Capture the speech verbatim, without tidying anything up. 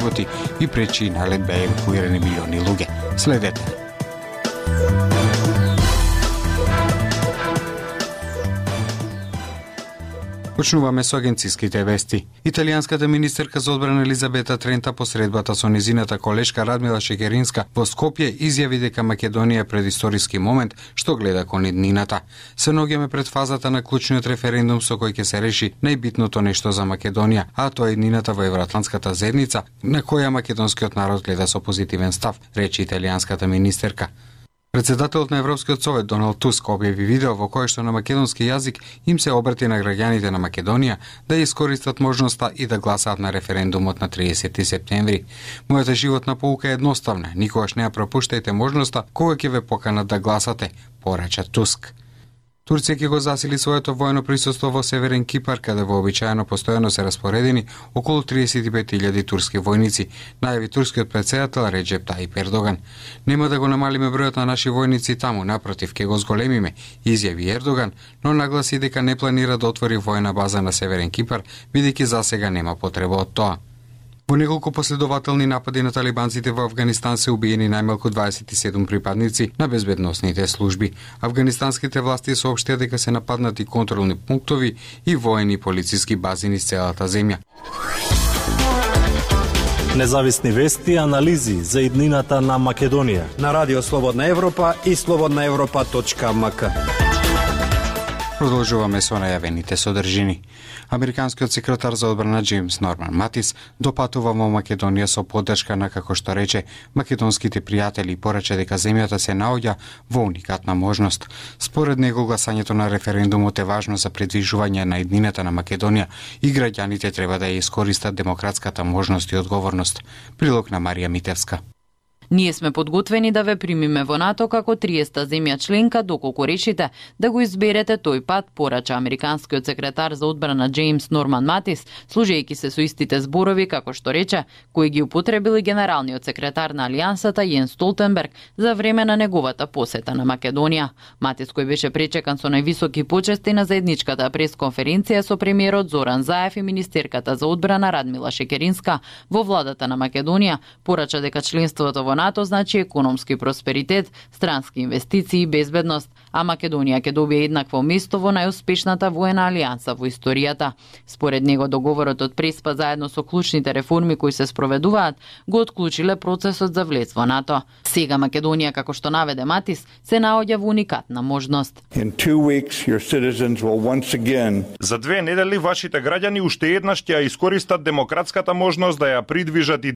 животи и пречи налет беа евакуирани милиони луѓе. Следете. Почнуваме со агенциските вести. Италијанската министерка за одбрана Елизабета Трента посредбата со незината колешка Радмила Шекеринска во Скопје изјави дека Македонија е пред историски момент што гледа кон иднината. Се наоѓаме пред фазата на клучниот референдум со кој ќе се реши најбитното нешто за Македонија, а тоа е иднината во Евроатлантската заедница, на која македонскиот народ гледа со позитивен став, рече италијанската министерка. Председателот на Европскиот совет Доналд Туск објави видео во кое што на македонски јазик им се обрати на граѓаните на Македонија да искористат можноста и да гласаат на референдумот на триесети септември. Мојата животна поука е едноставна, никогаш не ја пропуштајте можноста кога ќе ве поканат да гласате, порача Туск. Турција ќе го засили своето војно присуство во Северен Кипар, каде вообичаено постојано се распоредени околу триесет и пет илјади турски војници, најави турскиот претседател Реджеп Тајип Ердоган. Нема да го намалиме бројот на наши војници таму, напротив, ќе го зголемиме, изјави Ердоган, но нагласи дека не планира да отвори војна база на Северен Кипар, бидејќи засега нема потреба од тоа. Во неколку последователни напади на талибанците во Авганистан се убиени најмалку дваесет и седум припадници на безбедносните служби. Афганистанските власти соопштија дека се нападнати контролни пунктови и воени и полициски бази низ целата земја. Независни вести и анализи за иднината на Македонија на Радио Слободна Европа и слободна европа точка ем ка. Продолжуваме со најавените содржини. Американскиот секретар за одбрана Џејмс Норман Матис допатува во Македонија со поддршка на, како што рече, македонските пријатели и порача дека земјата се наоѓа во уникатна можност. Според него гласањето на референдумот е важно за предвижување на иднината на Македонија и граѓаните треба да ја искористат демократската можност и одговорност. Прилог на Марија Митевска. Ние сме подготвени да ве примиме во НАТО како триесета земја членка доколку решите да го изберете тој пат, порача американскиот секретар за одбрана Џејмс Норман Матис, служејќи се со истите зборови, како што рече, кои ги употребили генералниот секретар на Алијансата Јенс Столтенберг за време на неговата посета на Македонија. Матис, кој беше пречекан со највисоки почести на заедничката пресконференција со премиерот Зоран Заев и министерката за одбрана Радмила Шекеринска во владата на Македонија, порача дека членството во НАТО значи економски просперитет, странски инвестиции и безбедност, а Македонија ќе добие еднакво место во најуспешната воена алијанса во историјата. Според него договорот од Преспа заедно со клучните реформи кои се спроведуваат го отклучиле процесот за влез во НАТО. Сега Македонија, како што наведе Матис, се наоѓа во уникатна можност. За две недели вашите граѓани уште еднаш ќе ја искористат демократската можност да ја придвижат